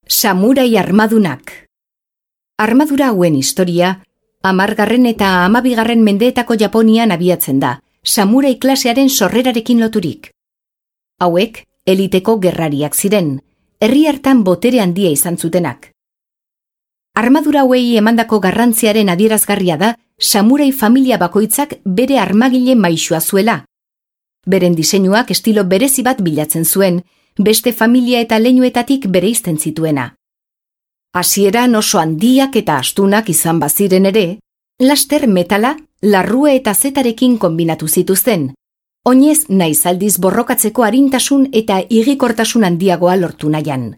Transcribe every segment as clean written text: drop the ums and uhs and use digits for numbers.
Samurai armadunak. Armadura hauen historia, 10. eta 12. mendeetako Japonian abiatzen da, samurai klasearen sorrerarekin loturik. Hauek, eliteko gerrariak ziren, herri hartan botere handia izan zutenak. Armadura hauei emandako garrantziaren adierazgarria da, samurai familia bakoitzak bere armagile maisua zuela. Beren diseinuak estilo berezi bat bilatzen zuen, beste familia eta leinuetatik bereizten zituena. Hasieran oso handiak eta astunak izan baziren ere, laster metala, larrue eta zetarekin kombinatu zituzten, oinez naiz aldiz borrokatzeko arintasun eta higikortasun handiagoa lortu nahian.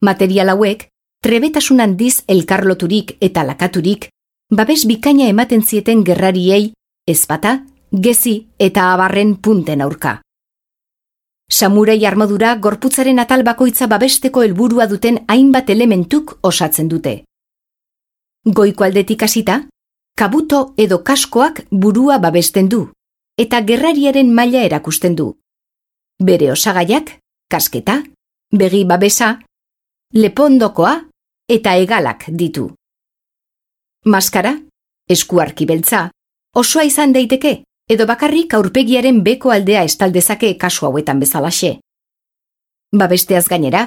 Material hauek, trebetasun handiz elkarloturik eta lakaturik, babes bikaina ematen zieten gerrariei, ezpata, gezi eta abarren punten aurka. Samurai armadura gorputzaren atal bakoitza babesteko helburua duten hainbat elementuk osatzen dute. Goiko aldetik hasita, kabuto edo kaskoak burua babesten du, eta gerrariaren maila erakusten du. Bere osagaiak, kasketa, begi babesa, lepondokoa eta hegalak ditu. Maskara, eskuarki beltza, osoa izan daiteke, edo bakarrik aurpegiaren beko aldea estaldezake kasu hauetan bezalaxe. Babesteaz gainera,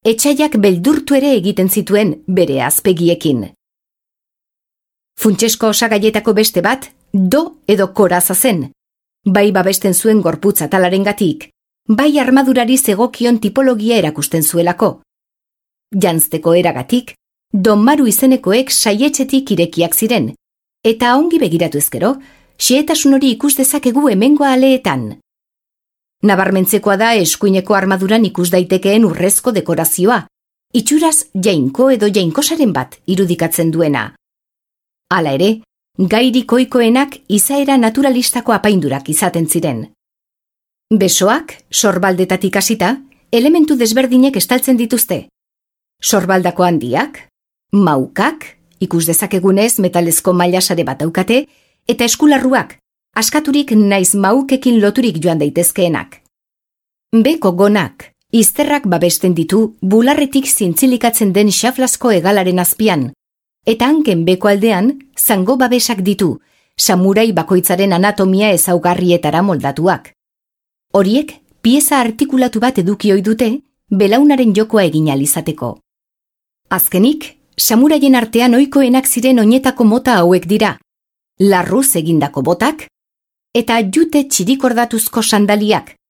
etsaiak beldurtu ere egiten zituen bere azpegiekin. Funtsesko osagaietako beste bat, do edo koraza zen, bai babesten zuen gorputz atalarengatik, bai armadurari zegokion tipologia erakusten zuelako. Janzteko eragatik, donmaru izenekoek saietxetik irekiak ziren, eta ongi begiratu ezkero, xehetasun hori ikus dezakegu hemengo aleetan. Nabarmentzekoa da eskuineko armaduran ikus daitekeen urrezko dekorazioa, itxuraz jainko edo jainkosaren bat irudikatzen duena. Hala ere, gairik ohikoenak izaera naturalistako apaindurak izaten ziren. Besoak, sorbaldetatik hasita, elementu desberdinek estaltzen dituzte. Sorbaldako handiak, maukak, ikus dezakegunez metalezko mailasare bat daukate, eta eskularruak, askaturik naiz maukekin loturik joan daitezkeenak. Beko gonak, izterrak babesten ditu bularretik zintzilikatzen den xaflasko hegalaren azpian, eta hanken beko aldean zango babesak ditu, samurai bakoitzaren anatomia ezaugarrietara moldatuak. Horiek, pieza artikulatu bat eduki ohi dute, belaunaren jokoa egin ahal izateko. Azkenik, samuraien artean ohikoenak ziren oinetako mota hauek dira, larruz egindako botak, eta jute txirikordatuzko sandaliak,